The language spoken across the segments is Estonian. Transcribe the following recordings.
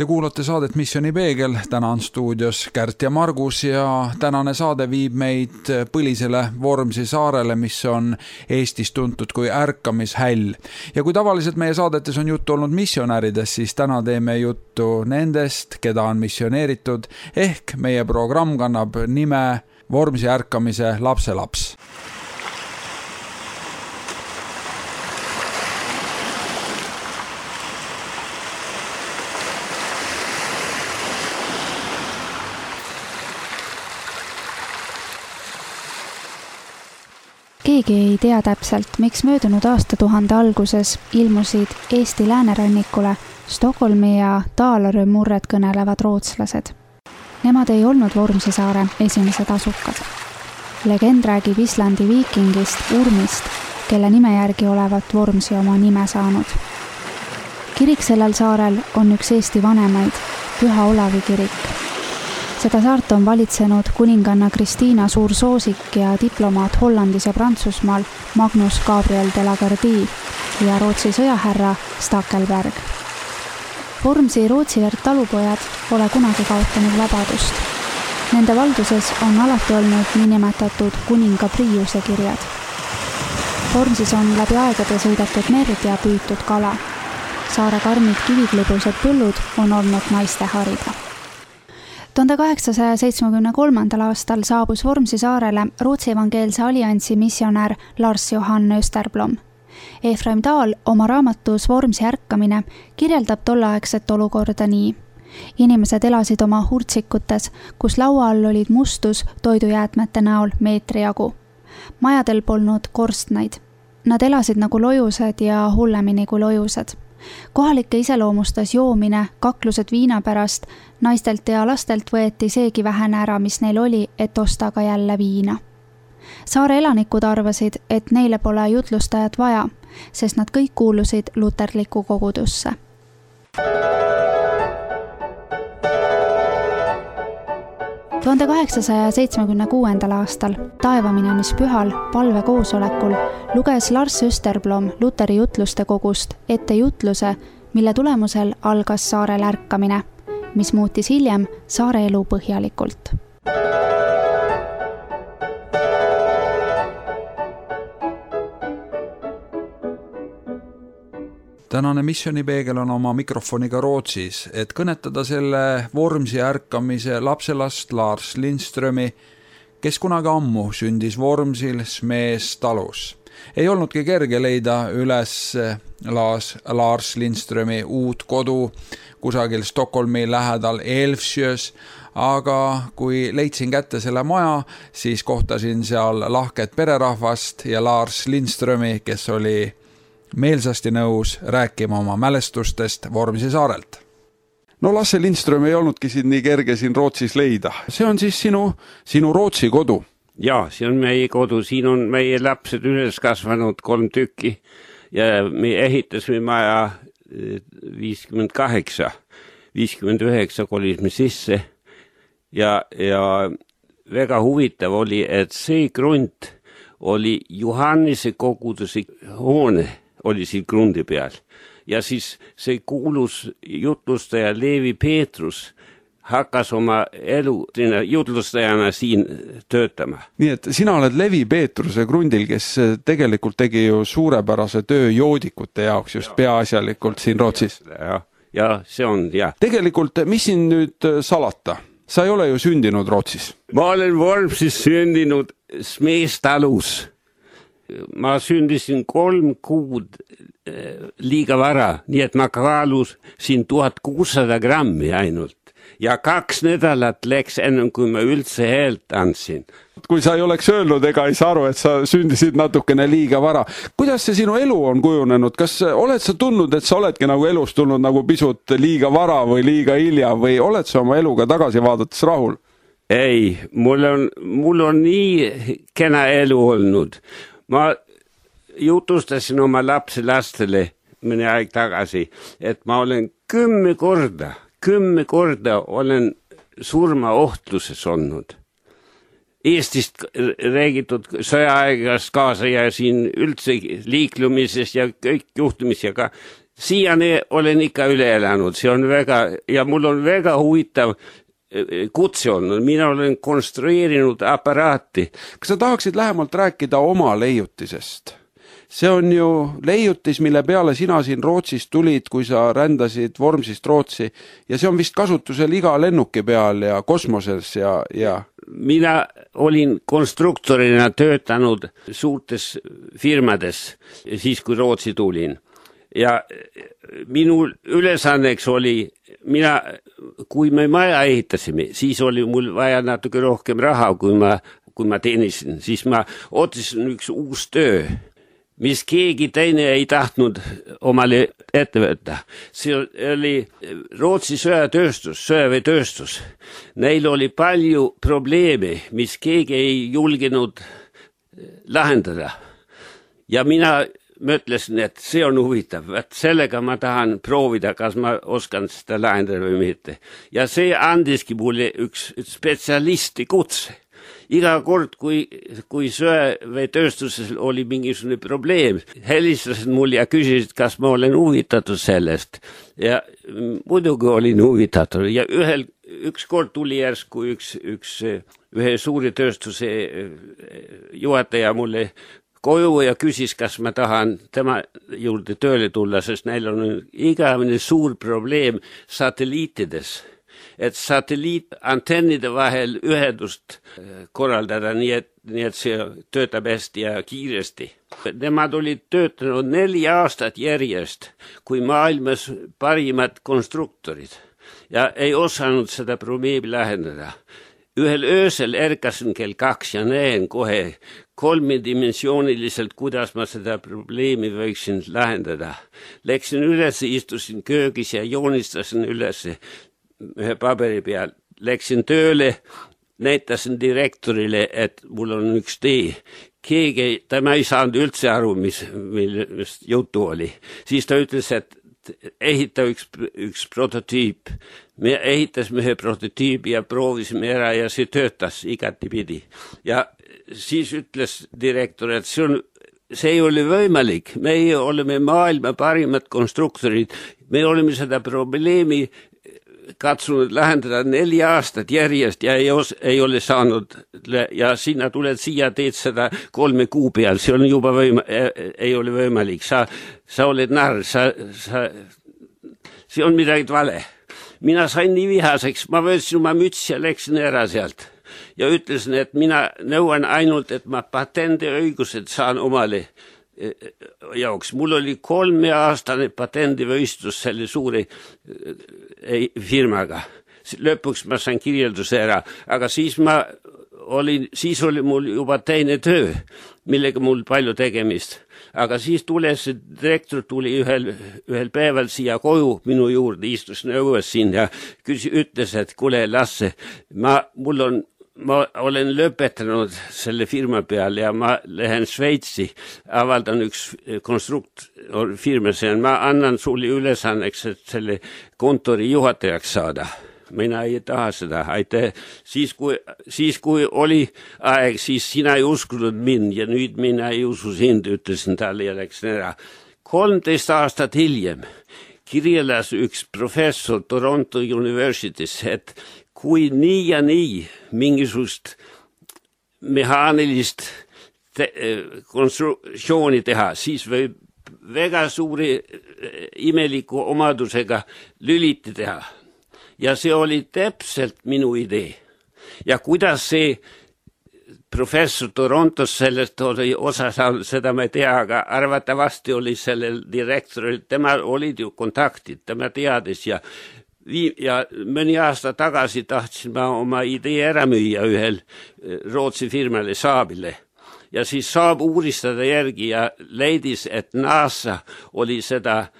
Te kuulate saadet Missioni peegel, täna on stuudios Kärt ja Margus ja tänane saade viib meid põlisele Vormsi saarele, mis on Eestis tuntud kui ärkamishäll. Ja kui tavaliselt meie saadetes on juttu olnud missionäridest, siis täna teeme juttu nendest, keda on missioneeritud, ehk meie programm kannab nime Vormsi ärkamise lapselaps. Keegi ei tea täpselt, miks möödunud aastatuhande alguses ilmusid Eesti läänerannikule Stockholmi ja Dalarö murret kõnelevad rootslased. Nemad ei olnud Vormsi saare esimesed asukad. Legend räägib Islandi viikingist Urmist, kelle nime järgi olevat Vormsi oma nime saanud. Kirik sellel saarel on üks Eesti vanemaid, Püha Olavi kirik. Seda saart on valitsenud kuninganna Kristiina Suursoosik ja diplomaat Hollandis ja Prantsusmaal Magnus Gabriel de la Gardie ja Rootsi sõjahärra Stackelberg. Vormsi Rootsi verd talupojad pole kunagi kaotanud vabadust. Nende valduses on alati olnud niinimetatud kuninga Priiuse kirjad. Vormsis on läbi aegade sõidetud merd ja püütud kala. Saare karmid kiviklibused põllud on olnud naiste harida. 1873. aastal saabus Vormsi saarele Rootsi evangeelse alliansi missionär Lars Johan Österblom. Efraim Dahl oma raamatus Vormsi ärkamine kirjeldab tolleaegset olukorda nii. Inimesed elasid oma hurtsikutes, kus laua all olid mustus toidujäätmete näol meetri jagu. Majadel polnud korstnaid. Nad elasid nagu lojused ja hullemini kui lojused. Kohalikke iseloomustas joomine, kaklused viina pärast, naistelt ja lastelt võeti seegi vähene ära, mis neil oli, et osta ka jälle viina. Saare elanikud arvasid, et neile pole jutlustajat vaja, sest nad kõik kuulusid luterlikku kogudusse. – 1876. aastal taevaminemishpühal palvekoosolekul luges Lars Österblom Luteri jutluste kogust ette jutluse, mille tulemusel algas saarel ärkamine, mis muutis hiljem saare elu põhjalikult. Tänane missionipeegel on oma mikrofoniga Rootsis, et kõnetada selle Vormsi ärkamise lapselast Lars Lindströmi, kes kunagi ammu sündis Vormsil Smees talus. Ei olnudki kerge leida üles Lars Lindströmi uut kodu kusagil Stockholmi lähedal Älvsjös, aga kui leidsin kätte selle maja, siis kohtasin seal lahket pererahvast ja Lars Lindströmi, kes oli meelsasti nõus rääkima oma mälestustest Vormsi saarelt. No Lasse Lindström ei olnudki siin nii kerge siin Rootsis leida. See on siis sinu Rootsi kodu? Jaa, see on meie kodu. Siin on meie lapsed üles kasvanud 3 tükki ja me ehitasime maja 59 kolisime sisse ja väga huvitav oli, et see grunt oli Johannese koguduse hoone oli siin grundi peal. Ja siis see kuulus jutlustaja Leevi Peetrus hakkas oma elu jutlustajana siin töötama. Nii et sina oled Leevi Peetruse grundil, kes tegelikult tegi ju suurepärase töö joodikute jaoks just peaasjalikult siin Rootsis. Ja see on, jah. Tegelikult, mis siin nüüd salata? Sa ei ole ju sündinud Rootsis. Ma olen Vormsis sündinud Smees talus. Ma sündisin 3 kuud liiga vara, nii et ma kaalusin 1600 grammi ainult. Ja 2 nädalat läks ennem, kui ma üldse häält andsin. Kui sa ei oleks öelnud ega ei saa aru, et sa sündisid natukene liiga vara. Kuidas see sinu elu on kujunenud? Kas oled sa tundnud, et sa oledki nagu elus tulnud nagu pisut liiga vara või liiga hilja või oled sa oma eluga tagasi vaadates rahul? Ei, mul on nii kena elu olnud. Ma jutustasin oma lapselastele mõne aeg tagasi, et ma olen 10 korda olen surmaohtluses olnud. Eestist räägitud sõjaaegast kaasa ja siin üldse liiklumises ja kõik juhtumis ja ka siiani olen ikka üle elanud, see on ja mul on väga huvitav kutse olnud, mina olen konstrueerinud aparaati. Kas sa tahaksid lähemalt rääkida oma leiutisest? See on ju leiutis, mille peale sina siin Rootsist tulid, kui sa rändasid Vormsist Rootsi ja see on vist kasutusel iga lennuki peal ja kosmoses ja... Mina olin konstruktorina töötanud suurtes firmades siis, kui Rootsi tulin. Ja minu ülesanneks oli, kui me maja ehitasime, siis oli mul vaja natuke rohkem raha, kui ma teenisin. Siis ma otsisin üks uus töö, mis keegi teine ei tahtnud omale ette võtta. See oli Rootsi söeveetööstus. Neil oli palju probleeme, mis keegi ei julgenud lahendada. Ja mina mõtlesin, et see on huvitav, et sellega ma tahan proovida, kas ma oskan seda lahendada või mitte. Ja see andiski mulle üks spetsialisti kutse. Iga kord, kui söeveetööstuses oli mingisugune probleem, helistasid mulle ja küsisid, kas ma olen huvitatud sellest. Ja muidugi olin huvitatud. Ja üks kord tuli järsku ühe suuri tööstuse juhataja mulle koju ja küsis, kas ma tahan tema juurde tööle tulla, sest neil on igavene suur probleem satelliitides. Et satelliitantennide vahel ühendust korraldada, nii et see töötab hästi ja kiiresti. Nemad olid töötanud 4 aastat järjest, kui maailmas parimad konstruktorid ja ei osanud seda probleemi lahendada. Ühel öösel ärkasin kell 2 ja näen kohe 3-dimensiooniliselt, kuidas ma seda probleemi võiksin lahendada. Läksin üles, istusin köögis ja joonistasin üles ühe paberi peal. Läksin tööle, näitasin direktorile, et mul on üks tee. Tema ei saanud üldse aru, millest jutu oli. Siis ta ütles, et ehita üks prototüüp. Me ehitasime ühe prototüübi ja proovisime ära ja see töötas igatipidi. Ja siis ütles direktor, et see ei ole võimalik. Meie oleme maailma parimad konstruktorid. Me oleme seda probleemi katsunud lahendada 4 aastat järjest ja ei ole saanud ja sinna tuled siia, teed seda 3 kuu peal. See on juba ei ole võimalik. Sa oled narr. See on midagi vale. Mina sain nii vihaseks. Ma võtsin oma müts ja läksin ära sealt. Ja ütlesin, et mina nõuan ainult, et ma patendiõigused saan omale jaoks. Mul oli 3-aastane patendivõistlus selle suure firmaga. Lõpuks ma sain kirjelduse ära, aga siis oli mul juba teine töö, millega mul palju tegemist. Aga siis direktor tuli ühel päeval siia koju minu juurde, istus nõues siin ja ütles, et kuule Lasse, ma olen lõpetanud selle firma peal ja ma lähen Šveitsi, avaldan üks konstruktorfirma, ma annan sulle ülesanneks, et selle kontori juhatajaks saada. Mina ei taha seda, aitäh. Siis kui oli aeg, siis sina ei uskunud mind ja nüüd mina ei usu sind, ütlesin talle ja läksin ära. 13 aastat hiljem kirjeldas üks professor Toronto Universitys, et kui nii ja nii mingisugust mehaanilist konstruktsiooni teha, siis võib väga suuri imeliku omadusega lüliti teha. Ja see oli täpselt minu idee. Ja kuidas see professor Torontos sellest oli osa saanud, seda ma ei tea, aga arvatavasti oli sellel direktoril, tema olid ju kontaktid, tema teadis ja mõni aasta tagasi tahtsin ma oma idee ära müüa ühel Rootsi firmale Saabile. Ja siis Saab uuristada järgi ja leidis, et NASA oli seda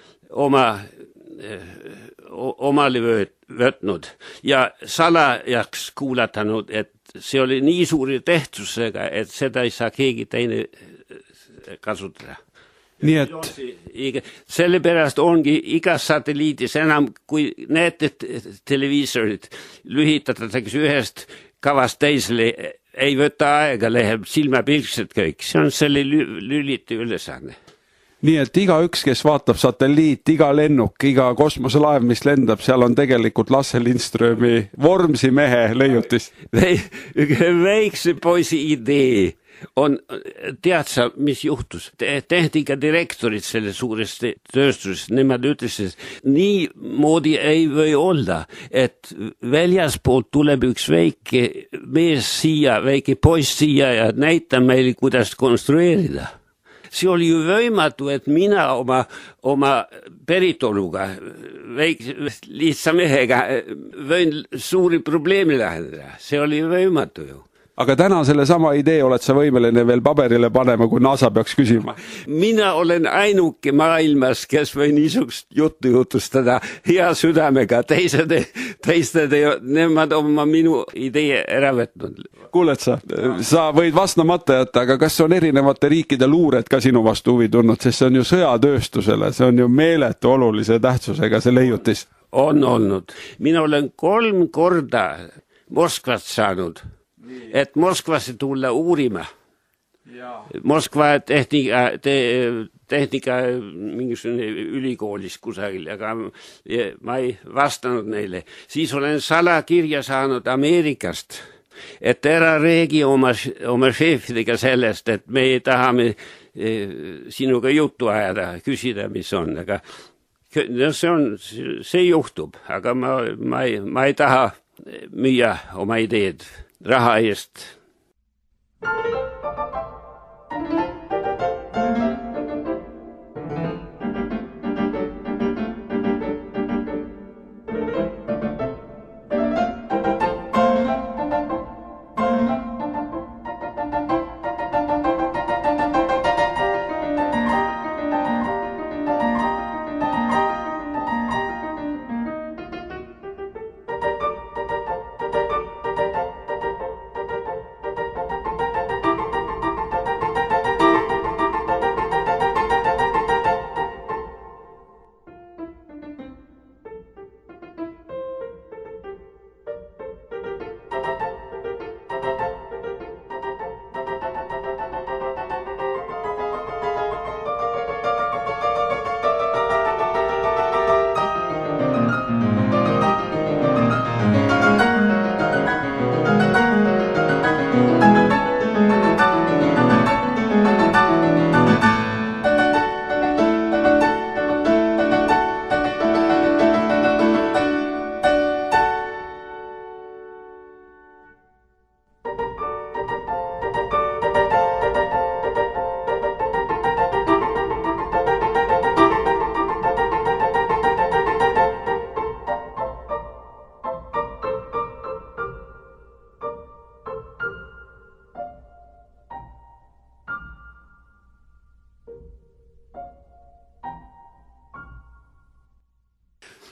omale võtnud ja salajaks kuulatanud, et see oli nii suuri tähtsusega, et seda ei saa keegi teine kasutada. Nii et sellepärast ongi igas satelliidis enam, kui näete televiisorid, lühitatakse ühest kavast teisele, ei võta aega, läheb silmapilkselt kõik. See on selle lüliti ülesanne. Nii et igaüks, kes vaatab satelliit, iga lennuk, iga kosmoselaev, mis lendab, seal on tegelikult Lasse Lindströmi Vormsi mehe leiutis. Väikse poisi idee on, tead sa, mis juhtus? Tehnika direktorid selle suurest tööstusest, nemad ütlesid, nii moodi ei või olla, et väljaspoolt tuleb üks väike mees siia, väike poiss siia ja näita meile, kuidas konstrueerida. See oli ju võimatu, et mina oma päritoluga, lihtsa mehega võin suuri probleemi lahendada. See oli võimatu ju. Aga täna selle sama idee oled sa võimeline veel paberile panema, kui NASA peaks küsima. Mina olen ainuke maailmas, kes või niisugust juttu jutustada hea südamega. Teised, nemad oma minu idee ära võtnud. Kuuled sa võid vastamata jätta, aga kas on erinevate riikide luured ka sinu vastu huvi tulnud, sest see on ju sõjatööstusele, see on ju meeletu olulise tähtsusega see leiutis. On olnud. Mina olen 3 korda Moskvast saanud. Et Moskvasse tulla uurima. Moskva tehnika mingisugune ülikoolis kusagil, aga ma ei vastanud neile. Siis olen salakirja saanud Ameerikast, et ära räägi oma šeefidega sellest, et me tahame sinuga juttu ajada, küsida, mis on. Aga see juhtub, aga ma ei taha müüa oma ideed raha eest.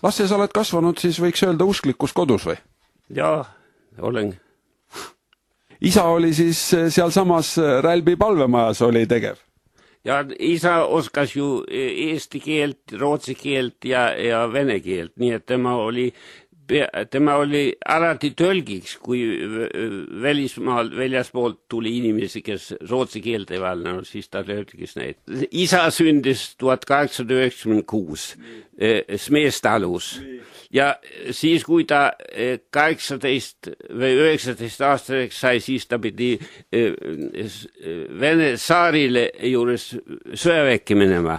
Lasse, sa oled kasvanud, siis võiks öelda usklikus kodus või? Jaa, olen. Isa oli siis sealsamas Rälbi palvemajas oli tegev? Ja isa oskas ju eesti keelt, rootsi keelt ja vene keelt, nii et tema oli alati tõlgiks, kui väljaspoolt tuli inimesi, kes rootsi keelt ei valdanud, siis ta tõlgis neid. Isa sündis 1896 Smeestalus ja siis, kui ta 18 või 19 aastaseks sai, siis ta pidi Vene saarile juures sõjaväkke minema.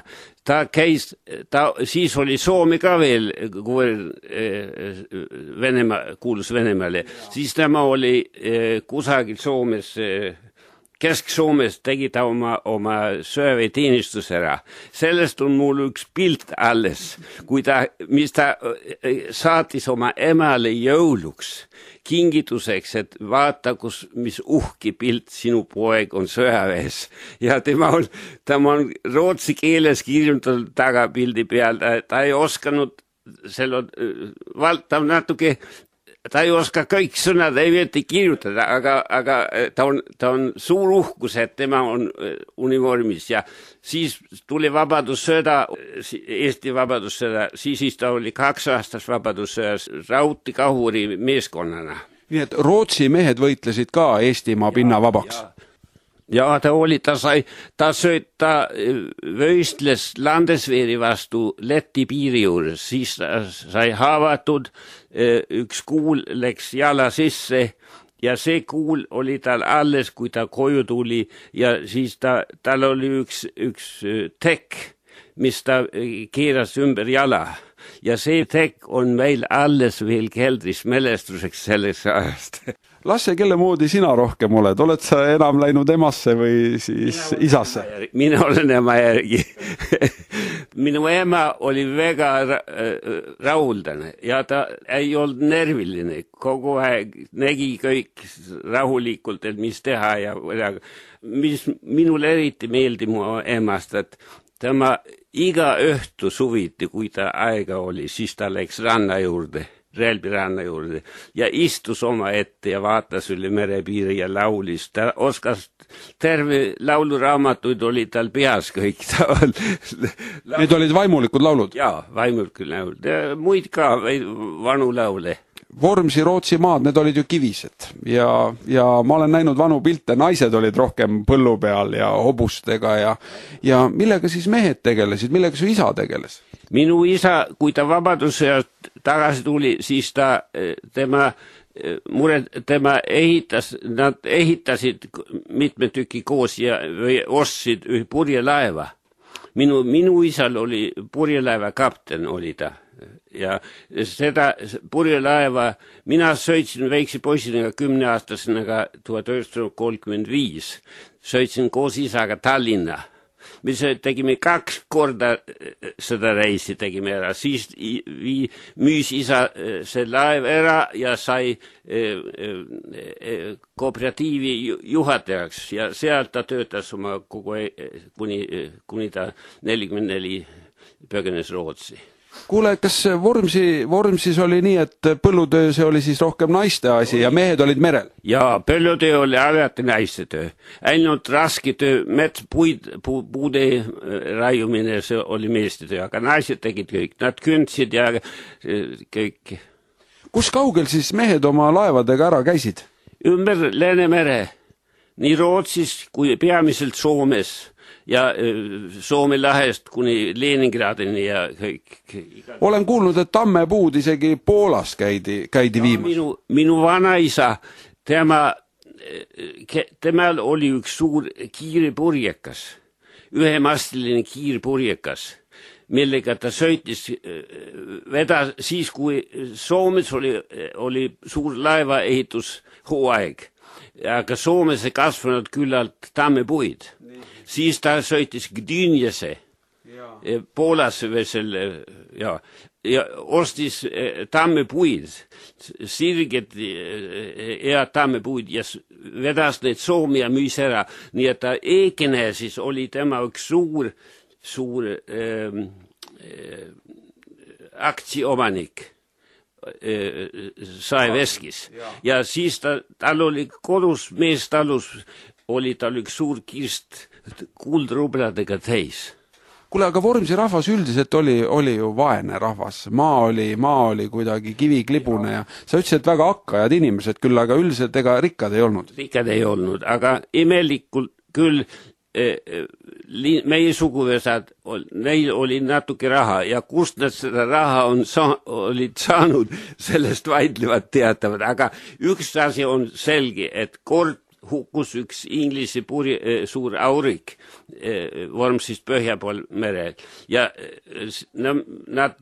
Siis oli Soome ka veel, kuulus Venemaale. Siis tema oli kusagil Soomes, Kesk-Soomes tegi ta oma sõjaväeteenistus ära. Sellest on mul üks pilt alles, mis ta saatis oma emale jõuluks kingituseks, et vaata, mis uhki pilt sinu poeg on sõjaväes. Ja tema on rootsi keeles kirjutatud taga pildi peal. Ta ei oskanud ta ei oska kõik sõnad, ei võeti kirjutada, aga ta on suur uhkus, et tema on univormis ja siis tuli vabadussõda, Eesti vabadussõda, siis ta oli 2 aastas vabadussõjas Rauti kahuri meeskonnana. Nii et Rootsi mehed võitlesid ka Eestimaa pinna vabaks? Ja, ta võistles Landesveri vastu Läti piiri juures, siis ta sai haavatud, üks kuul läks jala sisse ja see kuul oli tal alles, kui ta koju tuli ja siis tal oli üks tekk, mis ta keeras ümber jala ja see tekk on meil alles veel keldris mälestuseks sellest ajast. Lasse, kelle moodi sina rohkem oled? Oled sa enam läinud emasse või siis isasse? Mina olen ema järgi. Minu ema oli väga rahuldane ja ta ei olnud nerviline. Kogu aeg nägi kõik rahulikult, et mis teha ja mis minul eriti meeldi mu emast, et tema iga õhtu suviti, kui ta aega oli, siis ta läks ranna juurde. Relbi ranna juurde ja istus oma ette ja vaatas üle merepiiri ja laulis. Ta oskas terve lauluraamatuid oli tal peas kõik. Need olid vaimulikud laulud? Jaa, vaimulikud laulud. Muid ka vanu laule. Vormsi Rootsi maad, need olid ju kivised ja ma olen näinud vanu pilte, naised olid rohkem põllu peal ja hobustega ja millega siis mehed tegelesid, millega su isa tegeles? Minu isa, kui ta vabadusest tagasi tuli, siis nad ehitasid mitme tüki koos või ostsid ühe purjelaeva. Minu isal oli purjelaeva kapten, oli ta. Ja seda purjelaeva, mina sõitsin väikse poisina 10-aastasena 1935. Sõitsin koos isaga Tallinna. Me tegime 2 korda seda reisi tegime ära. Siis müüs isa see laev ära ja sai kooperatiivi juhatajaks ja sealt ta töötas oma kogu kuni ta 44 põgenes Rootsi. Kuule, kas Vormsis oli nii, et põllutöö see oli siis rohkem naiste asi ja mehed olid merel? Jaa, põllutöö oli alati naiste töö. Ainult raske töö, puude raiumine, see oli meeste töö, aga naised tegid kõik. Nad kündsid ja kõik. Kus kaugel siis mehed oma laevadega ära käisid? Ümber Läänemere, nii Rootsis kui peamiselt Soomes. Ja Soome lahest kuni Leningradini ja kõik. Olen kuulnud, et tammepuud isegi Poolas käidi viimas. Minu vanaisa, temal oli üks suur kiirpurjekas, ühemastiline kiirpurjekas, millega ta sõitis siis, kui Soomes oli suur laevaehitushooaeg, aga Soomes ei kasvanud küllalt tammepuid. Siis ta sõitis Gdynjese, Poolasse ja ostis tammepuid, sirged ja tammepuid ja vedas neid Soome ja müüs ära. Nii et ta Ekenesis oli tema üks suur aktsioomanik Saeveskis. Ja siis tal oli kodus, meestalus oli tal üks suur kirst kuldrubladega täis. Kuule, aga Vormsi rahvas üldiselt oli ju vaene rahvas. Maa oli kuidagi kiviklibune ja sa ütlesid, et väga hakkajad inimesed küll, aga üldiselt ega rikkad ei olnud. Rikkad ei olnud, aga imelikult küll meie suguvõsad, neil oli natuke raha ja kust nad seda raha olid saanud, sellest vaidlevad teatavad, aga üks asi on selge, et kord hukkus üks Inglise suur aurik Vormsist põhja pool merel ja nad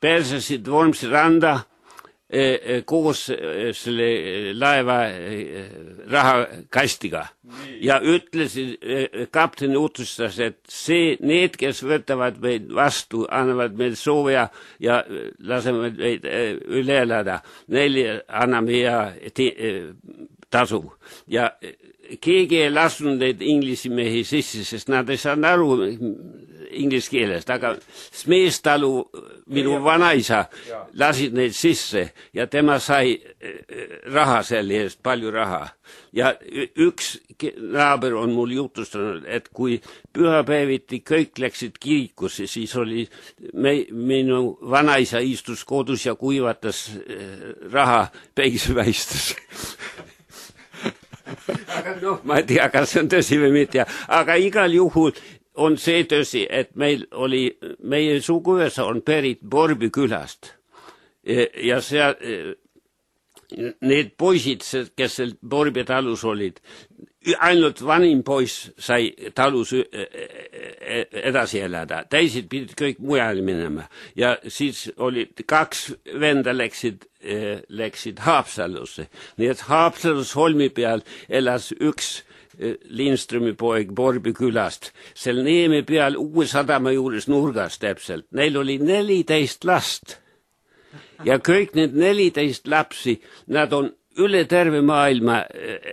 pääsesid Vormsi randa koos selle laeva rahakastiga ja ütlesid, kapten otsustas, et need, kes võtavad meid vastu, annavad meil sooja ja lasevad meid üle elada, neile anname tasu. Ja keegi ei lasnud neid inglisi mehi sisse, sest nad ei saanud aru inglise keelest, aga meestalu minu vanaisa lasid neid sisse ja tema sai raha selle eest, palju raha. Ja üks naaber on mul jutustanud, et kui pühapäeviti kõik läksid kirikusse, siis oli minu vanaisa istus kodus ja kuivatas raha päikeseväistus. Aga noh, ma ei tea, kas see on tõsi või mitte, aga igal juhul on see tõsi, et meie suguvõsa on pärit Borby külast ja seal need poisid, kes seal Borby talus olid, ainult vanim poiss sai talus edasi elada, teised pidid kõik mujal minema ja siis olid 2 venda läksid Haapsalusse, nii et Haapsalus Holmi peal elas üks Lindströmi poeg Borby külast, seal Neeme peal Uue sadama juures nurgas täpselt, neil oli 14 last ja kõik need 14 lapsi, nad on üle terve maailma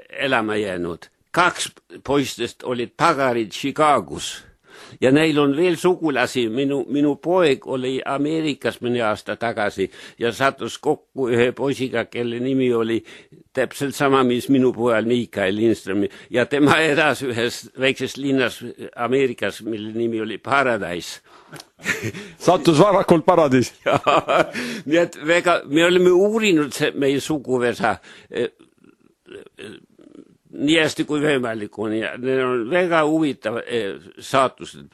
elama jäänud. 2 poistest olid pagarid Chicagos ja neil on veel sugulasi. Minu poeg oli Ameerikas mõni aasta tagasi ja sattus kokku ühe poisiga, kelle nimi oli täpselt sama, mis minu pojal Mikael Lindström ja tema elas ühes väikses linnas Ameerikas, mille nimi oli Paradise. Sattus varakult paradiis. Nii et me oleme uurinud meie suguvõsa nii hästi kui võimalik on ja need on väga huvitav saatused.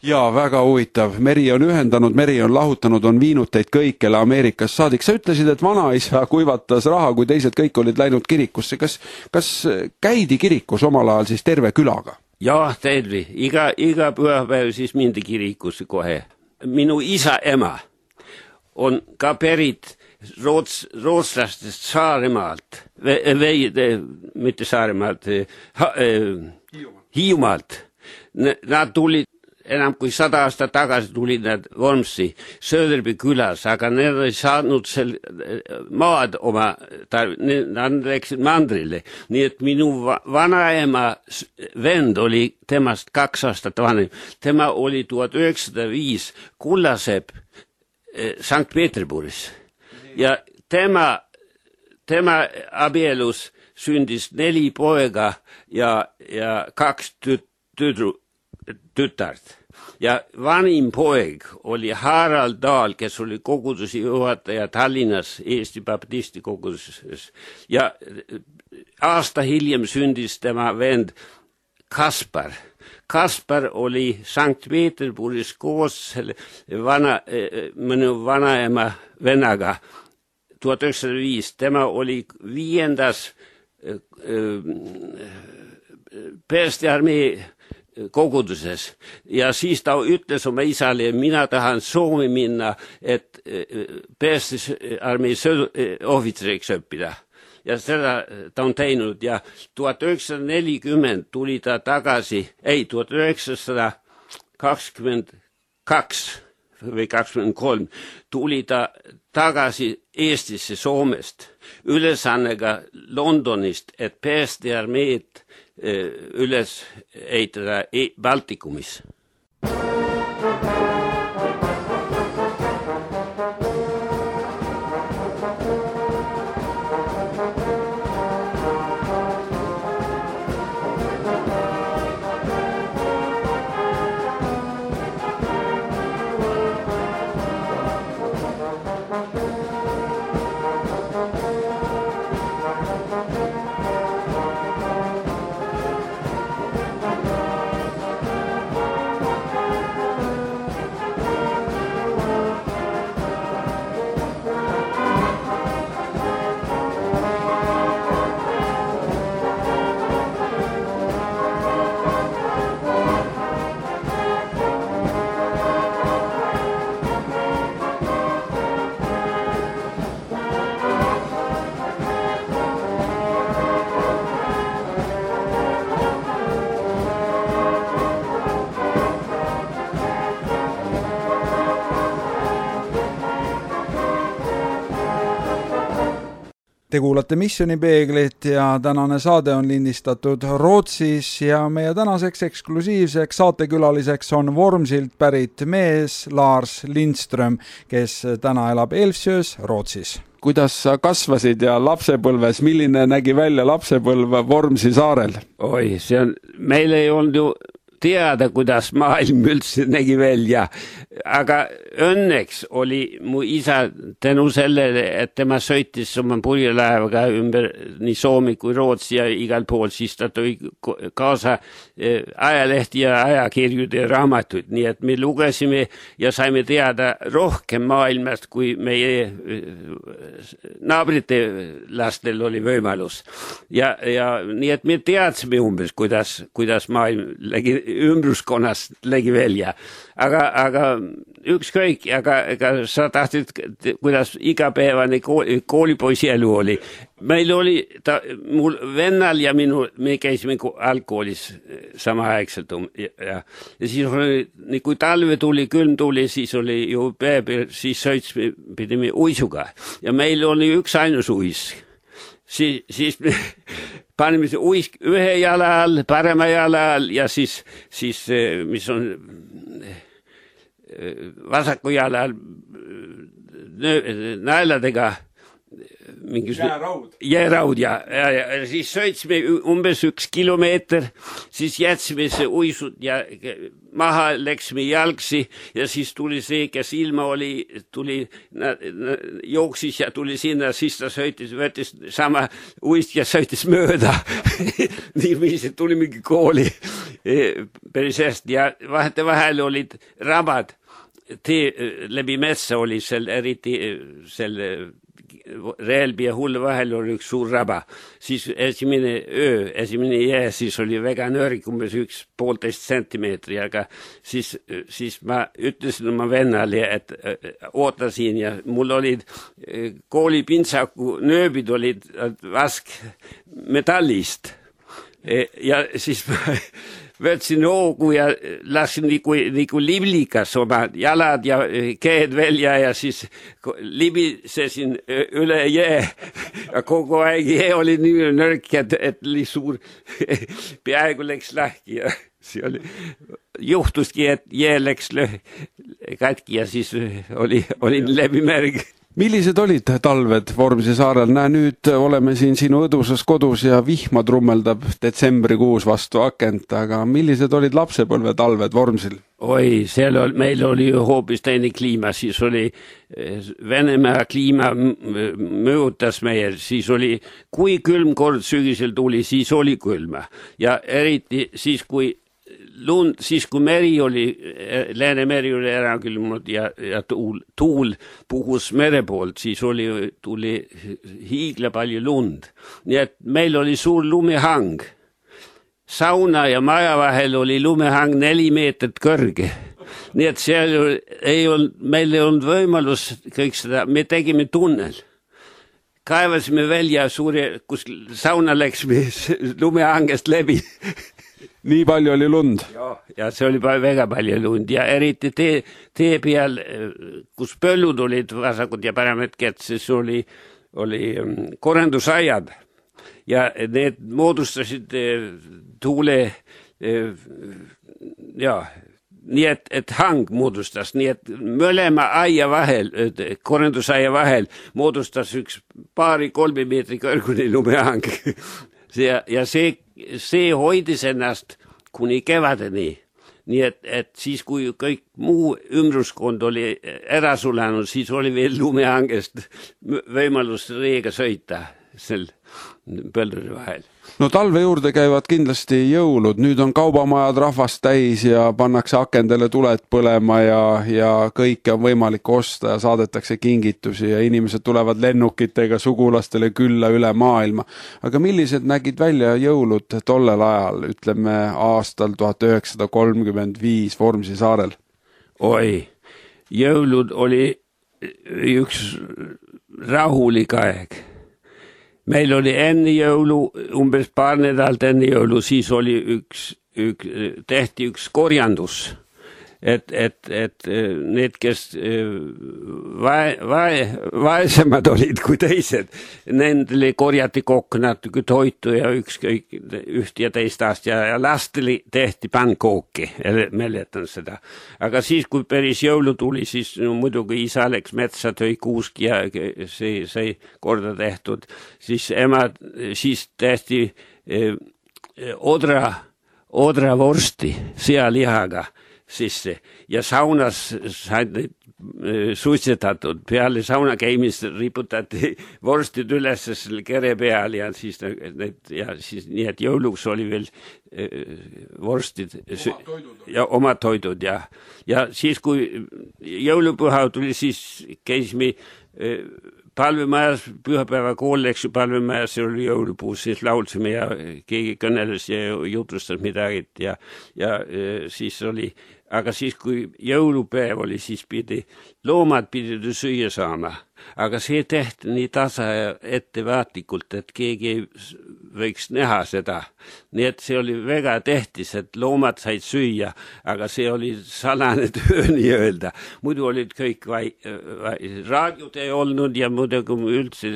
Jaa, väga huvitav. Meri on ühendanud, Meri on lahutanud, on viinud teid kõikjale Ameerikas saadik. Sa ütlesid, et vanaisa kuivatas raha, kui teised kõik olid läinud kirikusse. Kas käidi kirikus omal ajal siis terve külaga? Jaa, terve. Iga pühapäev siis mindi kirikusse kohe. Minu isa ema on ka pärit rootslastest Saaremaalt, mitte Saaremaalt, Hiiumaalt. Nad tulid enam kui 100 aastat tagasi tulid nad Vormsi Söderby külas, aga need ei saanud seal maad oma, nad läksid mandrile. Nii et minu vanaema vend oli temast 2 aastat vanem. Tema oli 1905 Kullasepp Sankt Peterburis. Ja tema abielus sündis 4 poega ja 2 tütart. Ja vanim poeg oli Harald Dahl, kes oli kogudusi juhataja Tallinnas Eesti Baptisti koguduses. Ja aasta hiljem sündis tema vend Kaspar. Kaspar oli Sankt Peterburis koos mõnu vanaema vennaga 1905. Tema oli 5. päästearmee koguduses ja siis ta ütles oma isale, mina tahan Soome minna, et päästearmee ohvitseriks õppida. Ja seda ta on teinud ja 1940 tuli ta tagasi, 1922 või 23 tuli ta tagasi Eestisse Soomest ülesannega Londonist, et päästearmeed üles ehitada Baltikumis. Te kuulate Missioonipeeglit ja tänane saade on lindistatud Rootsis ja meie tänaseks eksklusiivseks saatekülaliseks on Vormsilt pärit mees Lars Lindström, kes täna elab Elvsjös, Rootsis. Kuidas sa kasvasid ja lapsepõlves, milline nägi välja lapsepõlv Vormsi saarel? Oi, meil ei olnud ju teada, kuidas maailm üldse nägi välja. Aga õnneks oli mu isa tänu sellele, et tema sõitis oma purjelaevaga ümber nii Soomi kui Rootsi ja igal pool, siis ta tõi kaasa ajalehti ja ajakirjude ja raamatuid, nii et me lugesime ja saime teada rohkem maailmast, kui meie naabrite lastel oli võimalus. Ja nii et me teadsime umbes, kuidas maailm ümbruskonnas nägi välja. Aga ükskõik, aga sa tahtsid, kuidas igapäevane koolipoisi elu oli. Meil oli mul vennal ja me käisime algkoolis samaaegselt ja siis oli, kui talve tuli, külm tuli, siis oli ju päev, siis pidime uisuga ja meil oli üks ainus uis. Siis me panime see uisk ühe jala all, parema jala all ja siis mis on vasaku jala all naeladega jääraud ja siis sõitsime umbes 1 kilomeeter, siis jätsime see uisud ja maha läksime jalgsi ja siis tuli see, kes ilma oli, jooksis ja tuli sinna, siis ta võttis sama uist ja sõitis mööda. Niiviisi tuli mingi kooli päris hästi ja vahel olid rabad. Läbi metsa oli eriti Reelbi ja Hulle vahel oli üks suur raba. Siis esimene jää, siis oli väga nõrk, umbes 1,5 sentimeetri, aga siis ma ütlesin oma vennale, et ootasin ja mul olid koolipintsaku nööbid olid vask metallist. Ja siis ma võtsin hoogu ja lasin nagu liblikas oma jalad ja käed välja ja siis libisesin üle jää. Ja kogu aeg jää oli nii nõrk, et oli suur, peaaegu läks lahki ja see oli, juhtuski, et jää läks katki ja siis olin läbimärg. Millised olid talved Vormsi saarel? Nüüd oleme siin sinu õdusas kodus ja vihma trummeldab detsembrikuus vastu akent, aga millised olid lapsepõlve talved Vormsil? Oi, meil oli ju hoopis teine kliima, siis oli Venemaa kliima mõjutas meie, siis oli, kui külm kord sügisel tuli, siis oli külma ja eriti siis, kui meri oli, Läänemeri oli ära külmunud ja tuul puhus mere poolt, siis tuli hiigla palju lund. Nii et meil oli suur lumehang. Sauna ja maja vahel oli lumehang 4 meetrit kõrge. Nii et meil ei olnud võimalus kõik seda, me tegime tunnel. Kaevasime välja kus sauna läksime lumehangest läbi. Nii palju oli lund? Ja see oli väga palju lund ja eriti tee peal, kus põllud olid vasakud ja paremad kätt, siis oli korrendusajad ja need moodustasid tuule nii et hang moodustas, nii et mõlema aia vahel, korrendusaia vahel moodustas üks 2-3 meetri kõrgune lumehang. Ja see hoidis ennast kuni kevadeni. Nii et siis, kui kõik muu ümruskond oli ära sulanud, siis oli veel lumehangest võimalus reega sõita sel põldude vahel. No talve juurde käivad kindlasti jõulud, nüüd on kaubamajad rahvast täis ja pannakse akendele tuled põlema ja kõike on võimalik osta ja saadetakse kingitusi ja inimesed tulevad lennukitega sugulastele külla üle maailma. Aga millised nägid välja jõulud tollel ajal, ütleme aastal 1935 Vormsi saarel? Oi, jõulud oli üks rahulik aeg. Meil oli enne jõulu, umbes paar nädalat enne jõulu, siis oli tehti üks korjandus, et need, kes vaesemad olid kui teised, nendele korjati kokku natuke toitu ja üht ja teist aasta ja lastele tehti pankooki, mäletan seda. Aga siis, kui päris jõulu tuli, siis muidugi isa läks metsa, tõi kuuski ja see sai korda tehtud, siis ema siis tehti odravorsti sealihaga sisse ja saunas said neid suitsetatud. Peale sauna käimist riputati vorstid üles selle kere peal ja siis nii, et jõuluks oli veel vorstid ja omad toidud ja siis, kui jõulupüha tuli, siis käisime palvemajas, pühapäeva kool läks ju palvemajas, see oli jõulupuus, siis laulsime ja keegi kõneles ja jutustas midagi ja siis oli, aga siis, kui jõulupäev oli, siis loomad pidid süüa saama, aga see tehti nii tasa ja ettevaatlikult, et keegi ei võiks näha seda. Nii et see oli väga tähtis, et loomad said süüa, aga see oli salane töö nii öelda. Muidu olid kõik raadiot ei olnud ja muidugi üldse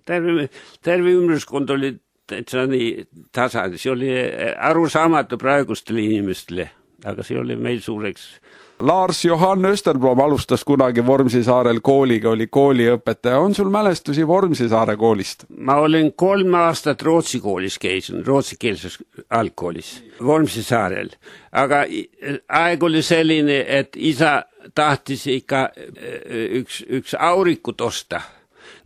terve ümruskond oli täitsa nii tasa. See oli arusaamatu praegustele inimestele. Aga see oli meil suureks. Lars Johan Österblom alustas kunagi Vormsisaarel kooliga, oli kooliõpetaja. On sul mälestusi Vormsisaare koolist? Ma olen 3 aastat Rootsi koolis käisin, rootsikeelses algkoolis, Vormsisaarel. Aga aeg oli selline, et isa tahtis ikka üks aurikut osta.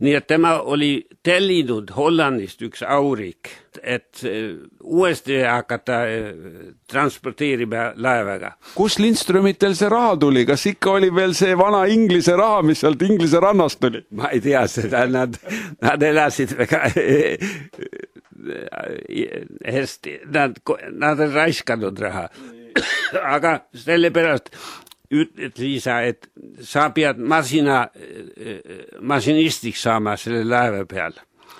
Nii et tema oli tellinud Hollandist üks aurik, et uuesti hakata transporteerima laevaga. Kus Lindströmitel see raha tuli? Kas ikka oli veel see vana Inglise raha, mis sealt Inglise rannast tuli? Ma ei tea seda, nad elasid väga hästi, nad on raiskanud raha. Aga sellepärast ütles isa, et sa pead masinistiks saama selle laeva peal.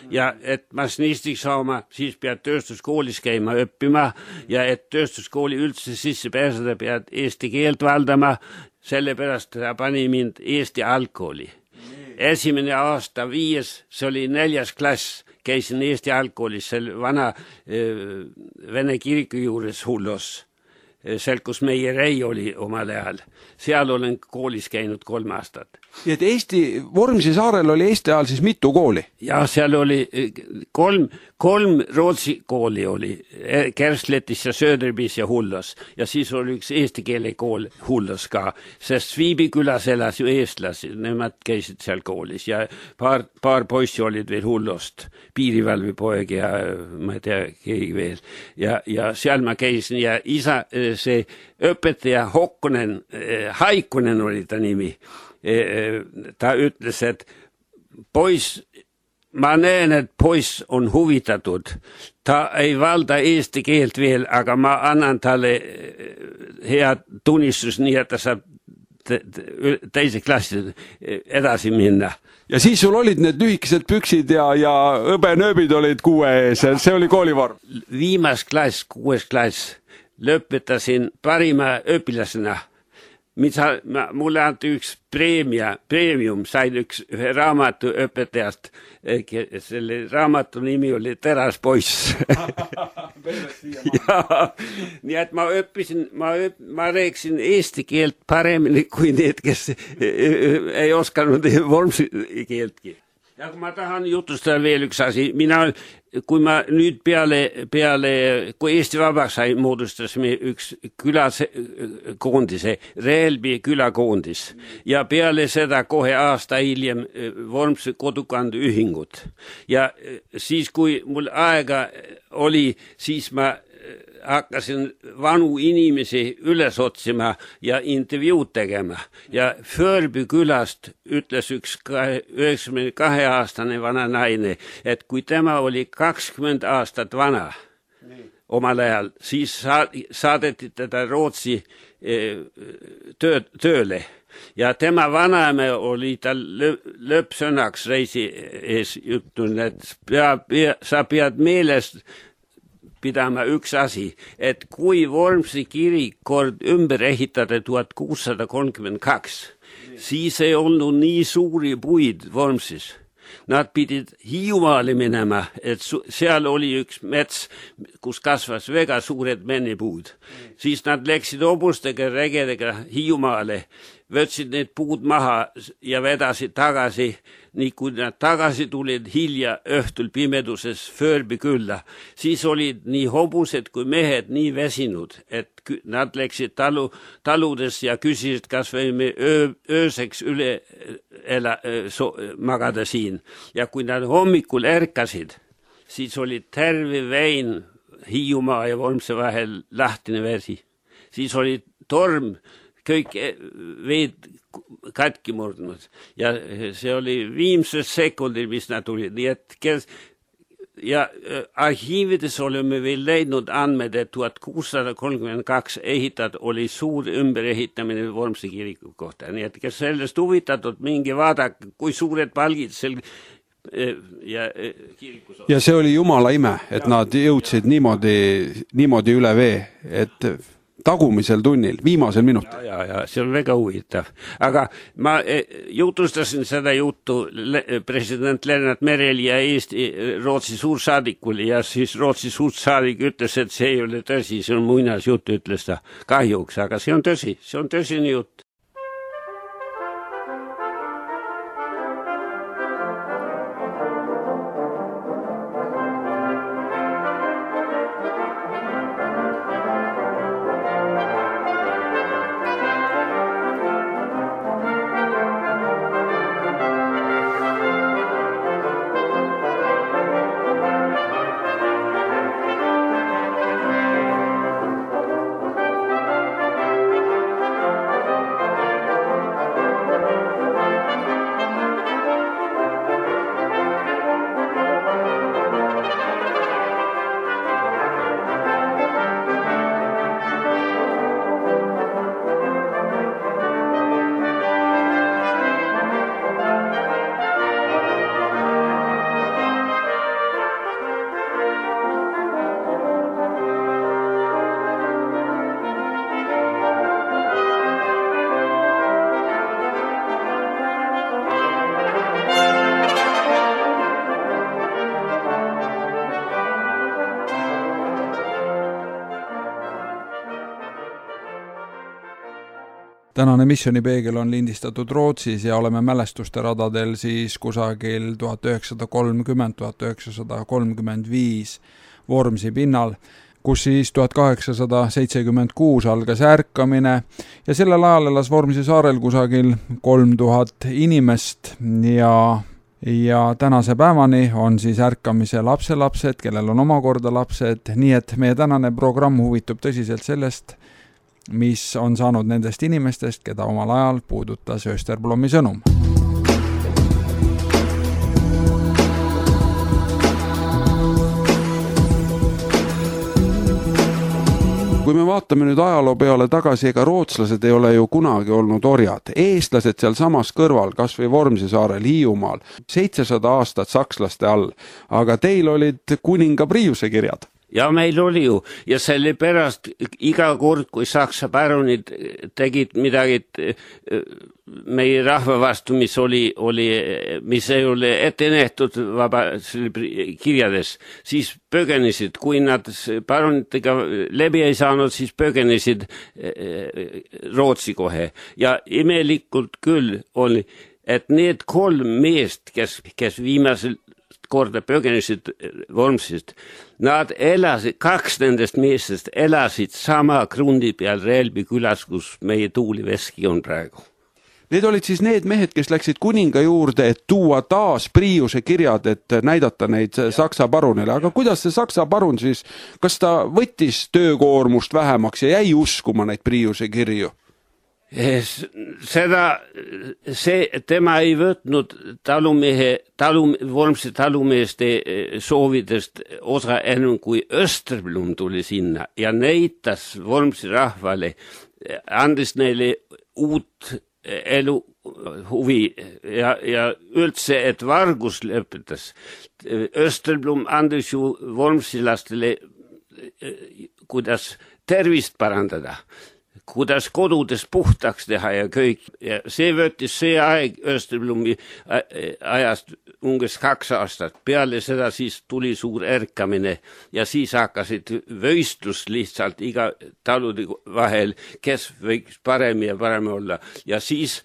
Ja et masinistiks saama, siis pead tööstuskoolis käima õppima ja et tööstuskooli üldse sisse pääseda, pead eesti keelt valdama, sellepärast ta pani mind Eesti algkooli. Esimene aasta 5, see oli 4. klass, käisin Eesti algkoolis, selle vana Vene kiriku juures Hullos. Seal, kus meie rei oli omal ajal. Seal olen koolis käinud 3 aastat. Ja et Vormsisaarel oli Eesti ajal siis mitu kooli? Ja seal oli 3 Rootsi kooli oli, Kersletis ja Söderbis ja Hullos. Ja siis oli üks eesti keele kool Hullos ka, sest Viibikülas elas ju eestlasi, nemad käisid seal koolis ja paar poissi olid veel Hullost, piirivalvepoeg ja ma ei tea, keegi veel. Ja seal ma käisin ja isa, see õpetaja Haikunen oli ta nimi. Ta ütles, et poiss, ma näen, et poiss on huvitatud. Ta ei valda eesti keelt veel, aga ma annan talle hea tunnistus, nii et ta saab teise klassi edasi minna. Ja siis sul olid need lühikesed püksid ja õbenööbid olid 6 ees, see oli koolivorm? Viimas klass, 6. klass, lõpetasin parima õpilasena. Mulle anti üks preemium, sain ühe raamatu õpetajast, selle raamatu nimi oli Teraspoiss. Nii et ma õppisin, ma rääkisin eesti keelt paremini kui need, kes ei osanud vormsi keeltki. Ja kui ma tahan jutustada veel üks asi, kui ma nüüd peale, kui Eesti vabaks sai, moodustasime üks külakoondise, Reelbi külakoondis ja peale seda kohe aasta hiljem Vormsi kodukande ühingut. Ja siis, kui mul aega oli, siis ma hakkasin vanu inimesi üles otsima ja intervjuud tegema. Ja Förby külast ütles üks 92-aastane vana naine, et kui tema oli 20 aastat vana omal ajal, siis saadeti teda Rootsi tööle. Ja tema vanaema oli tal lõppsõnaks reisi ees juttunud, et sa pead meelest pidama üks asi, et kui Vormsi kirik kord ümber ehitada 1632, siis ei olnud nii suuri puid Vormsis. Nad pidid Hiiumaale minema, et seal oli üks mets, kus kasvas väga suured mennepuud. Siis nad läksid hobustega, regedega Hiiumaale. võtsid need puud maha ja vedasid tagasi, nii kui nad tagasi tulid hilja õhtul pimeduses Förbi külla, siis olid nii hobused kui mehed nii väsinud, et nad läksid taludes ja küsisid, kas võime ööseks üle magada siin. Ja kui nad hommikul ärkasid, siis oli terve vein Hiiumaa ja Vormsi vahel lahtine vesi. Siis oli torm, kõik veed katki murdnud ja see oli viimses sekundil, mis nad tulid. Nii et ja arhiivides oleme veel leidnud andmed, et 1632 ehitatud oli suur ümberehitamine Vormsi kiriku kohta. Nii et kes sellest huvitatud, mingi vaadake, kui suured palgid sel ja see oli jumala ime, et nad jõudsid niimoodi üle vee, et tagumisel tunnil, viimasel minutil. Ja, see on väga huvitav. Aga ma jutustasin seda juttu president Lennart Merel ja Rootsi suursaadikul ja siis Rootsi suursaadik ütles, et see ei ole tõsi, see on muinasjutt, ütles ta kahjuks, aga see on tõsine jutt. Tänane Missionipeegel on lindistatud Rootsis ja oleme mälestuste radadel siis kusagil 1930-1935 Vormsi pinnal, kus siis 1876 algas ärkamine ja sellel ajal elas Vormsi saarel kusagil 3000 inimest ja tänase päevani on siis ärkamise lapselapsed, kellel on omakorda lapsed, nii et meie tänane programm huvitub tõsiselt sellest, mis on saanud nendest inimestest, keda omal ajal puudutas Österblommi sõnum. Kui me vaatame nüüd ajaloo peale tagasi, ega rootslased ei ole ju kunagi olnud orjad. Eestlased seal samas kõrval, kas või Vormsi saarel, Hiiumaal, 700 aastat sakslaste all, aga teil olid kuninga Priiuse kirjad. Ja meil oli ju, ja sellepärast iga kord, kui saksa baronid tegid midagi meie rahva vastu, mis ei ole ette nähtud kirjades, siis põgenesid, kui nad baronitega läbi ei saanud, siis põgenesid Rootsi kohe. Ja imelikult küll oli, et need 3 meest, kes viimasel korda põgenesid Vormsist, nad elasid, 2 nendest meestest elasid sama krundi peal Relbi külas, kus meie tuuliveski on praegu. Need olid siis need mehed, kes läksid kuninga juurde, et tuua taas Priiuse kirjad, et näidata neid saksa parunile. Aga kuidas see saksa parun siis, kas ta võttis töökoormust vähemaks ja jäi uskuma neid Priiuse kirju? Tema ei võtnud Vormsi talumeeste soovidest osa ennem kui Österblom tuli sinna ja näitas Vormsi rahvale, andis neile uut elu huvi ja üldse, et vargus lõpetas. Österblom andis ju vormsilastele, kuidas tervist parandada. kuidas kodudes puhtaks teha ja kõik. Ja see võttis see aeg Österblumi ajast umbes 2 aastat. Peale seda siis tuli suur ärkamine ja siis hakkasid võistlus lihtsalt iga talude vahel, kes võiks parem ja parem olla. Ja siis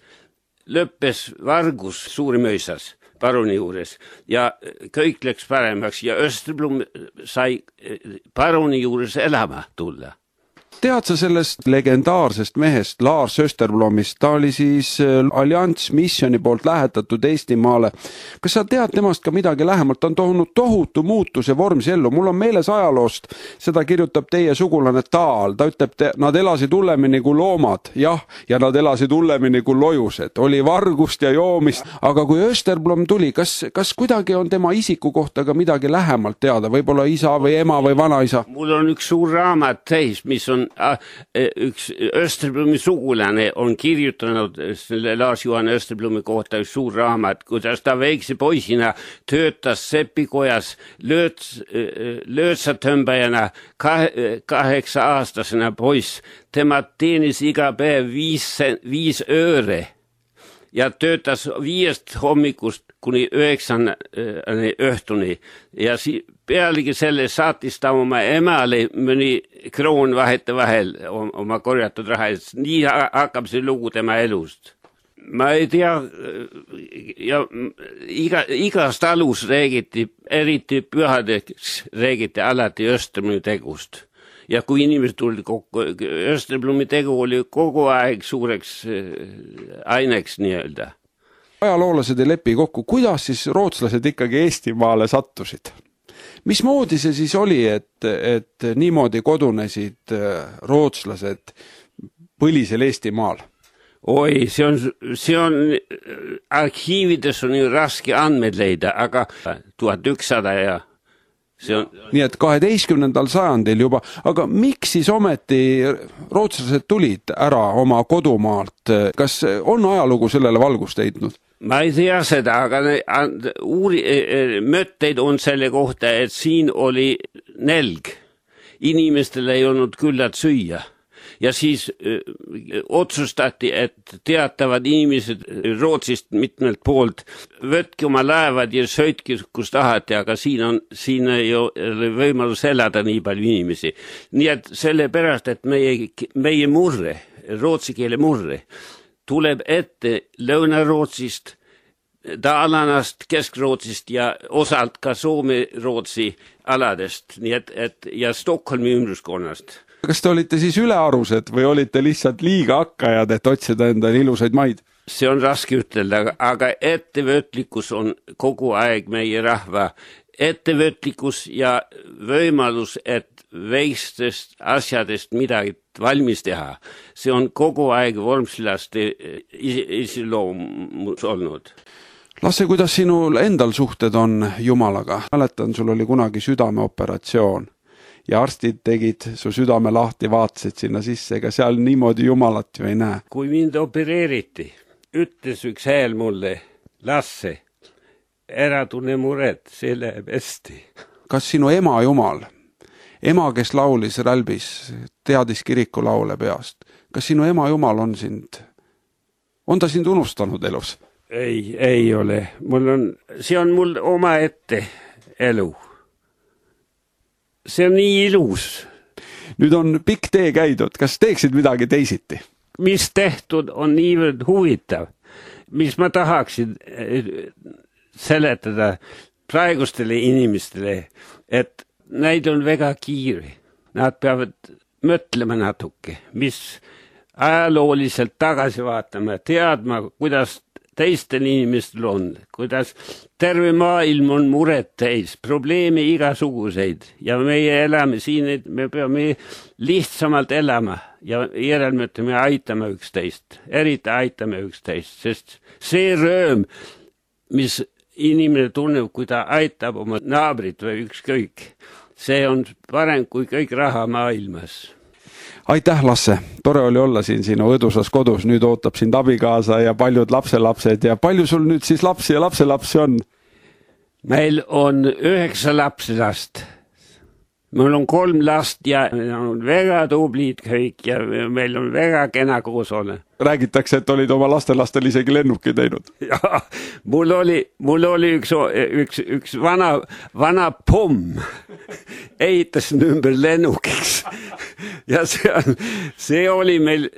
lõppes vargus Suurimõisas paruni juures ja kõik läks paremaks ja Österblum sai paruni juures elama tulla. Tead sa sellest legendaarsest mehest Lars Österblomist? Ta oli siis Allianz Missioni poolt lähetatud Eestimaale. Kas sa tead temast ka midagi lähemalt? Ta on toonud tohutu muutuse Vormsi ellu. Mul on meeles ajaloost, seda kirjutab teie sugulane Taal. Ta ütleb, nad elasid hullemini kui loomad. Jah, ja nad elasid hullemini kui lojused. Oli vargust ja joomist. Aga kui Österblom tuli, kas kuidagi on tema isiku kohta ka midagi lähemalt teada? Võib-olla isa või ema või vanaisa? Mul on üks suur raamat täis, mis on üks Österblomi sugulane on kirjutanud selle Lars-Johan Österblumi kohta üks suur raamat, kuidas ta väikse poisina töötas sepikojas löötsatõmbajana 8-aastasena poiss. Tema teenis iga päev 5 ööre ja töötas 5 hommikust kuni 9 õhtuni ja pealegi selle saatis ta oma emale mõni kroon vahel oma korjatud raha. Nii hakkab see lugu tema elust. Ma ei tea, ja igast alus räägiti, eriti pühadeks räägiti alati Österblumi tegust. Ja kui inimesed tulid kokku, Österblumi tegu oli kogu aeg suureks aineks nii-öelda. Ajaloolased ei lepi kokku, kuidas siis rootslased ikkagi Eestimaale sattusid? Mismoodi see siis oli, et niimoodi kodunesid rootslased põlisel Eestimaal? Oi, see on arhiivides on ju raske andmed leida, aga 1100 ja see on... Nii et 12. sajandil juba, aga miks siis ometi rootslased tulid ära oma kodumaalt? Kas on ajalugu sellele valgust heitnud? Ma ei tea seda, aga mõtteid on selle kohta, et siin oli nälg. Inimestel ei olnud küllalt süüa. Ja siis otsustati, et teatavad inimesed Rootsist mitmelt poolt võtke oma laevad ja sõitke kus tahate, aga siin ei ole võimalus elada nii palju inimesi. Nii et sellepärast, et meie murre, rootsi keele murre, tuleb ette Lõuna-Rootsist, Dalanast, Kesk-Rootsist ja osalt ka Soome-Rootsi aladest, nii et ja Stockholmi ümruskonnast. Kas te olite siis ülearused või olite lihtsalt liiga hakkajad, et otsida endale ilusaid maid? See on raske ütelda, aga ettevõtlikkus on kogu aeg meie rahva ettevõtlikkus ja võimalus, et väikestest asjadest midagi valmis teha. See on kogu aeg vormsilaste iseloomus olnud. Lasse, kuidas sinul endal suhted on Jumalaga? Mäletan, sul oli kunagi südameoperatsioon ja arstid tegid su südame lahti, vaatasid sinna sisse, ega seal niimoodi Jumalat ju ei näe. Kui mind opereeriti, ütles üks hääl mulle, Lasse, ära tunne muret, see läheb hästi. Kas sinu ema Jumal, ema, kes laulis Rälbis, teadis kirikulaule peast, kas sinu ema Jumal on ta sind unustanud elus? Ei ole. See on mul oma ette elu. See on nii ilus. Nüüd on pikk tee käidud. Kas teeksid midagi teisiti? Mis tehtud on niivõrd huvitav. Mis ma tahaksin seletada praegustele inimestele, et neid on väga kiire. Nad peavad mõtlema natuke, mis ajalooliselt tagasi vaatama, teadma, kuidas teistel inimestel on, kuidas terve maailm on muret täis, probleeme igasuguseid ja meie elame siin, et me peame lihtsamalt elama ja järelmööda me aitame üksteist, eriti aitame üksteist, sest see rõõm, mis inimene tunneb, kui ta aitab oma naabrit või ükskõik, see on parem kui kõik raha maailmas. Aitäh, Lasse! Tore oli olla siin sinu õdusas kodus. Nüüd ootab sind abikaasa ja paljud lapselapsed. Ja palju sul nüüd siis lapsi ja lapselapsi on? Meil on 9 lapselast. Mul on 3 last ja on väga tublid kõik ja meil on väga kena koos olla. Räägitakse, et olid oma lastelastel isegi lennuki teinud. Ja, mul oli üks vana pomm ehitas ümber lennukiks. Ja see oli meil,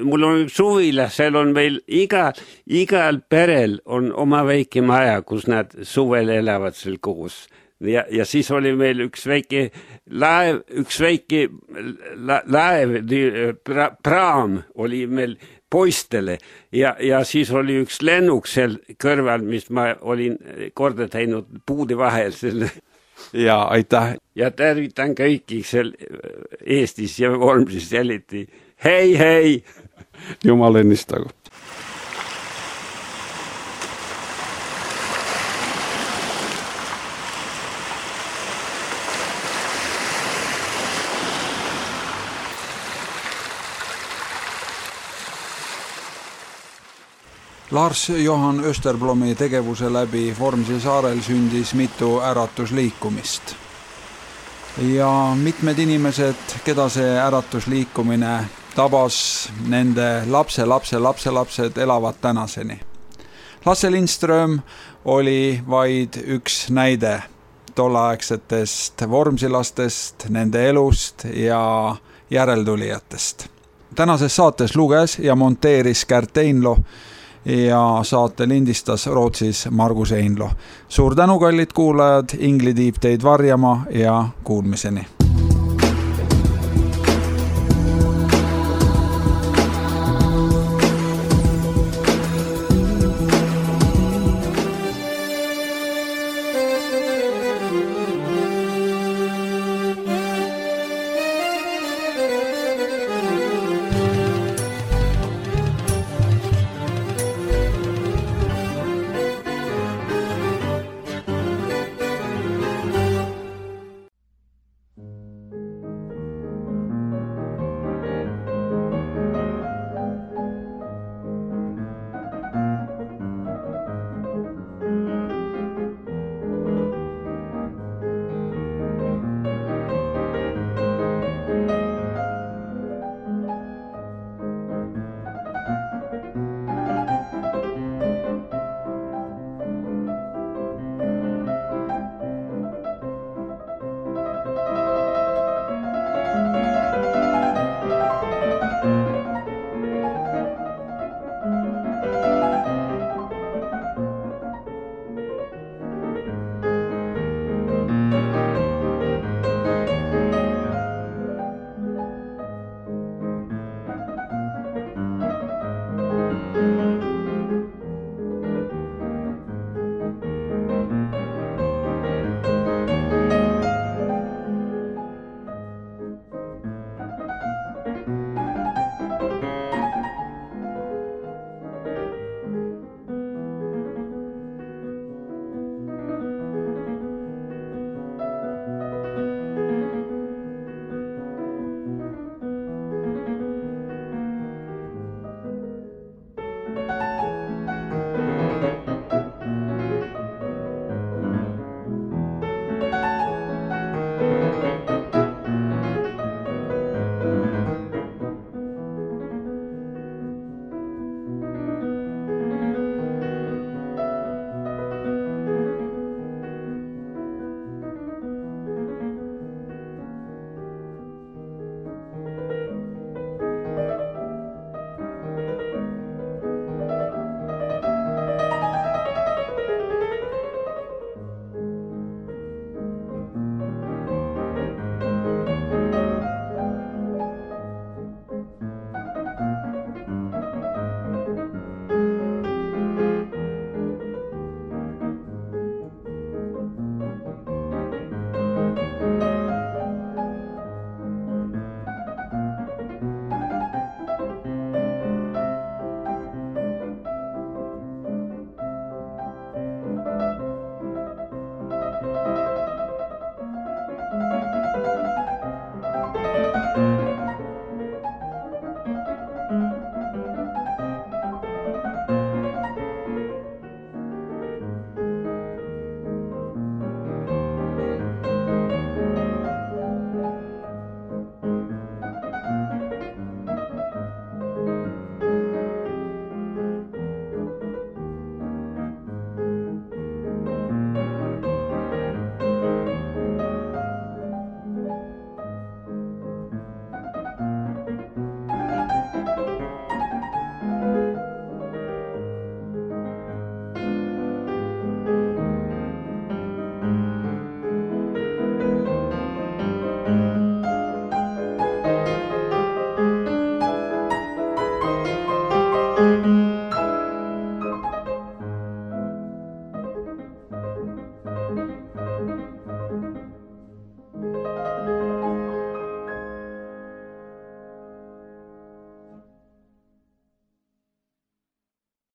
mul on üks suvila, seal on meil igal perel on oma väike maja, kus nad suvel elavad seal koos. Ja siis oli meil üks väike laev, praam oli meil poistele ja siis oli üks lennuk seal kõrval, mis ma olin korda teinud puude vahel selle. Ja aitäh. Ja tervitan kõiki seal Eestis ja Vormsis jäliti. Hei! Jumal õnnistagu. Lars Johan Österblomi tegevuse läbi Vormsi saarel sündis mitu äratusliikumist. Ja mitmed inimesed, keda see äratusliikumine tabas, nende lapselapsed elavad tänaseni. Lasse Lindström oli vaid üks näide tolleaegsetest vormsilastest, nende elust ja järeltulijatest. Tänases saates luges ja monteeris Kärt Einlo ja saate lindistas Rootsis Margus Einlo. Suur tänu, kallid kuulajad, Ingli tiib teid varjama ja kuulmiseni.